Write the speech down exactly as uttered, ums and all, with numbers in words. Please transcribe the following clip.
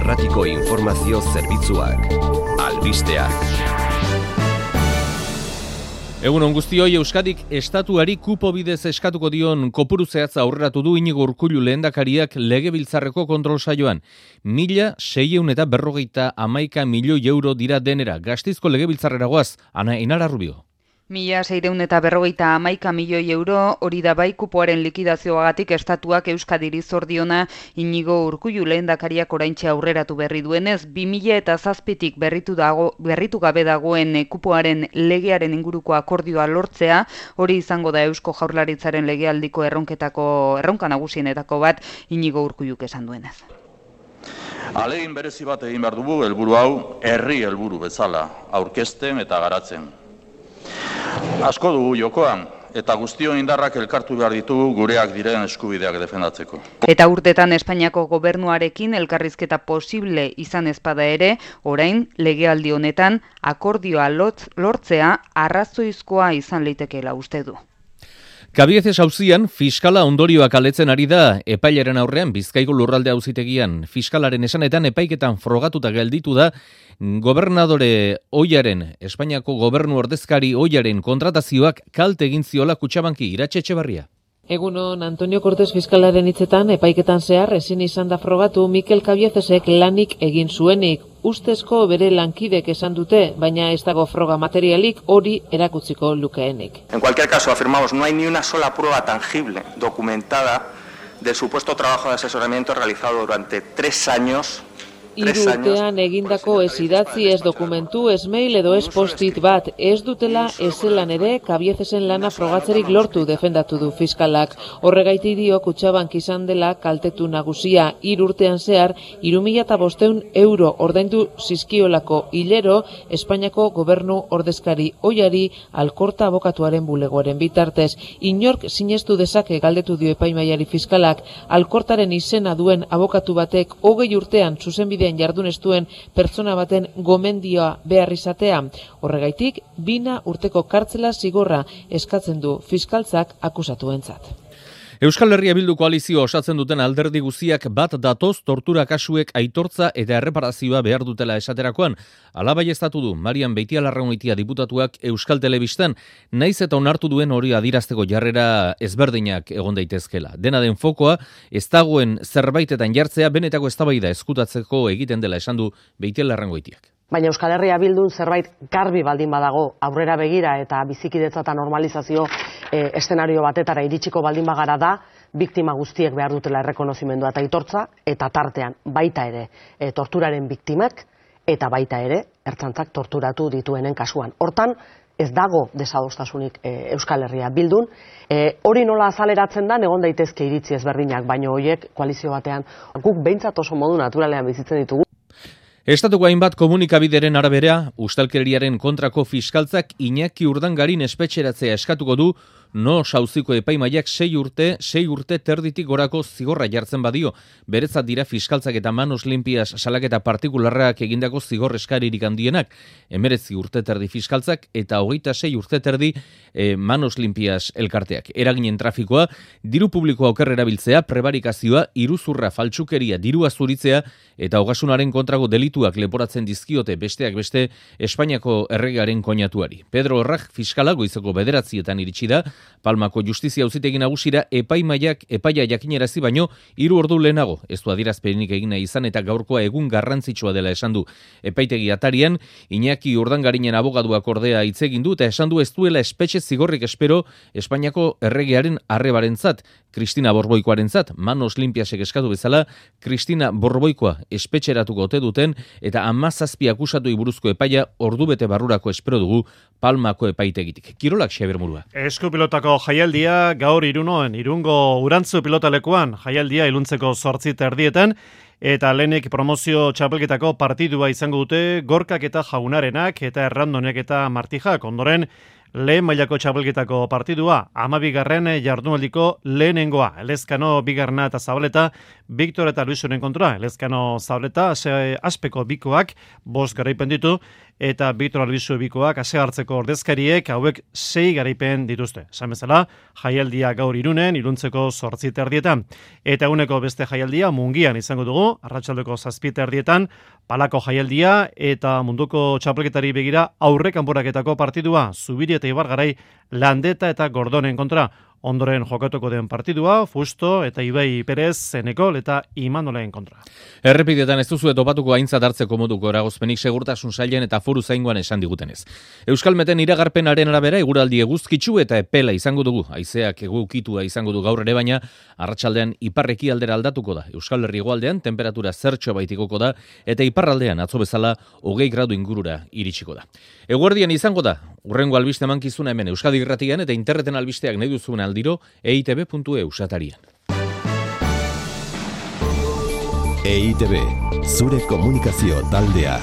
Irratiko informazio zerbitzuak. Albisteak. Egun on guztioi, Euskadik estatuari kupo bidez eskatuko dion kopuru zehatza aurreratu du Inigo Urkullu lehendakariak legebiltzarreko kontrol saioan. Mila seiehun eta berrogeita hamaika milioi euro dira denera. Gasteizko legebiltzarrera goaz, Ana Enara Rubio. Mila seiehun eta berrogeita hamaika milioi euro, hori da bai kupoaren likidazioagatik estatuak Euskadiri zor diona Inigo Urkullu lehendakariak oraintxe aurreratu berri duenez, bi mila eta zazpitik berritu dago, berritu gabe dagoen kupoaren legearen inguruko akordioa lortzea, hori izango da Eusko Jaurlaritzaren legealdiko erronketako erronka nagusienetako bat Inigo Urkulluk esan duenez. Ahalegin berezi bat egin behar dugu helburu hau herri helburu bezala aurkezten eta garatzen. Asko dugu jokoan, eta guztion indarrak elkartu behar ditugu gureak diren eskubideak defendatzeko. Eta urtetan Espainiako gobernuarekin elkarrizketa posible izan ezpada ere, orain legealdi honetan akordioa lortzea arrazoizkoa izan leitekeela uste du. Kabiezes auzian fiskala ondorioak aletzen ari da epailaren aurrean Bizkaiko lurralde auzitegian. Fiskalaren esanetan epaiketan frogatuta gelditu da gobernadore Oiaren, Espainiako gobernu ordezkari Oiaren kontratazioak kalte egin ziola Kutxabanki. Iratxe Etxebarria. Egunon, Antonio Cortes fiskalaren hitzetan epaiketan zehar ezin izan da frogatu Mikel Kabiezesek lanik egin zuenik. Ustezko bere lankidek esan dute, baina ez dago froga materialik hori erakutziko lukeenik. En cualquier caso, afirmamos, no hay ni una sola prueba tangible, documentada, del supuesto trabajo de asesoramiento realizado durante tres años. Hiru urtean egindako ez idatzi, ez dokumentu, ez mail edo ez postit bat, ez dutela ezelan ere Kabiezesen lana frogatzerik lortu defendatu du fiskalak. Horregaitik dio Kutxabank izan dela kaltetu nagusia. Hiru urtean zehar, hiru mila bostehun euro ordaindu zizkiolako hilero Espainiako gobernu ordezkari Oiari Alkorta abokatuaren bulegoaren bitartez. Inork sinestu dezake galdetu dio epaimaiari fiskalak. Alkortaren izena duen abokatu batek hogei urtean zuzenbide jardun ez duen pertsona baten gomendioa behar izatea. Horregaitik, bina urteko kartzela zigorra eskatzen du fiskaltzak akusatuentzat. Euskal Herria Bildu koalizioa osatzen duten alderdi guztiak bat datoz tortura kasuek aitortza eta erreparazioa behar dutela esaterakoan. Hala baieztatu du Marian Beitialarragoitia diputatuak Euskal Telebistan, naiz eta onartu duen hori adirazteko jarrera ezberdinak egon daitezkela. Dena den fokoa, ez dagoen zerbaitetan jartzea benetako eztabaida eskutatzeko egiten dela esan du Beitialarragoitiak. Baina Euskal Herria Bildun zerbait garbi baldin badago, aurrera begira eta bizikidetza eta normalizazio e, eszenario batetara iritsiko baldin bagara da, biktima guztiek behar dutela errekonozimendua eta aitortza, eta tartean baita ere e, torturaren biktimak, eta baita ere ertzaintzak torturatu dituenen kasuan. Hortan, ez dago desadostasunik e, Euskal Herria Bildun. E, hori nola azaleratzen da, egon daitezke iritzi ezberdinak, baina horiek koalizio batean guk behintzat oso modu naturalean bizitzen ditugu. Estatuko hainbat komunikabideren arabera, ustelkeriaren kontrako fiskaltzak Iñaki Urdangarin espetxeratzea eskatuko du, no sauziko epaimaiak sei urte, sei urte terditik gorako zigorra jartzen badio. Beretzat dira fiskaltzak eta manos limpias salaketa partikularrak egindako zigor eskaririk handienak. Emeretzi urte terdi fiskaltzak eta hogeita sei urte terdi e, manos limpias elkarteak. Eraginen trafikoa, diru publikoa oker erabiltzea, prebarikazioa, iruzurra, faltsukeria, dirua zuritzea eta ogasunaren kontrago delituak leporatzen dizkiote besteak beste Espainiako erregearen koinatuari. Pedro Orrag fiskala goizeko bederatzietan iritsi da, Palmako justizia auzitegi nagusira epaimaiak epaia jakinerazi baino hiru ordu lehenago. Ez du adierazpenik egina izan eta gaurkoa egun garrantzitsua dela esan du. Epaitegi atarian Iñaki Urdangarinen abogaduak ordea hitz egin du eta esan du ez duela espetxe zigorrik espero Espainiako erregearen arrebarentzat, Kristina Borboikoarentzat, manos limpiasek eskatu bezala, Kristina Borboikoa espetxeratuko ote duten eta hamazazpi akusatuei buruzko epaia ordubete barrurako espero dugu Palmako epaitegitik. Kirolak Xabier Murua. Eskupilotako jaialdia gaur Irunoen, Irungo Urantzu pilotalekuan jaialdia iluntzeko zortzi terdietan, eta lehenik promozio txapelketako partidua izango dute Gorkak eta Jaunarenak eta Errandonek eta Martijak. Ondoren lehen mailako txapelketako partidua, amabigarren jardunaldiko lehenengoa. Elezkano bigarrena eta Zabaleta, Victor eta Luisoren kontra. Elezkano Zabaleta, aspeko bikoak, bost garaipen ditu, eta Victor Albizu bikoak ase hartzeko ordezkariek hauek sei garaipen dituzte. Esan bezala, jaialdia gaur Irunen, Iruntzeko zortzi terdietan. Eta eguneko beste jaialdia Mungian izango dugu, arratsaldeko zazpi terdietan, Palako jaialdia eta munduko txapelketari begira aurre kanporaketako partidua, Zubiri eta Ibargarai Landeta eta Gordonen kontra. Ondoren jokatuko den partidua, Fusto eta Ibai Perez, Zenekol eta Imanolen kontra. Errepidetan ez duzu topatuko aintzat hartzeko moduko eragozpenik segurtasun sailen eta foru zaingoan esan digutenez. Euskalmeten iragarpenaren arabera eguraldi eguzkitsu eta epela izango dugu. Haizeak egukitua izango du gaur ere, baina arratsaldean iparreki aldera aldatuko da. Euskal Herri hegoaldean temperatura zertxo baitikoko da eta iparraldean atzo bezala hogei gradu ingurura iritsiko da. Eguerdian izango da, urrengo albiste mankizuna hemen Euskadi Irratian eta interneten albisteak nahi duzuen aldiro e i te be puntu e u satarian. E I Te Be, zure komunikazio taldea.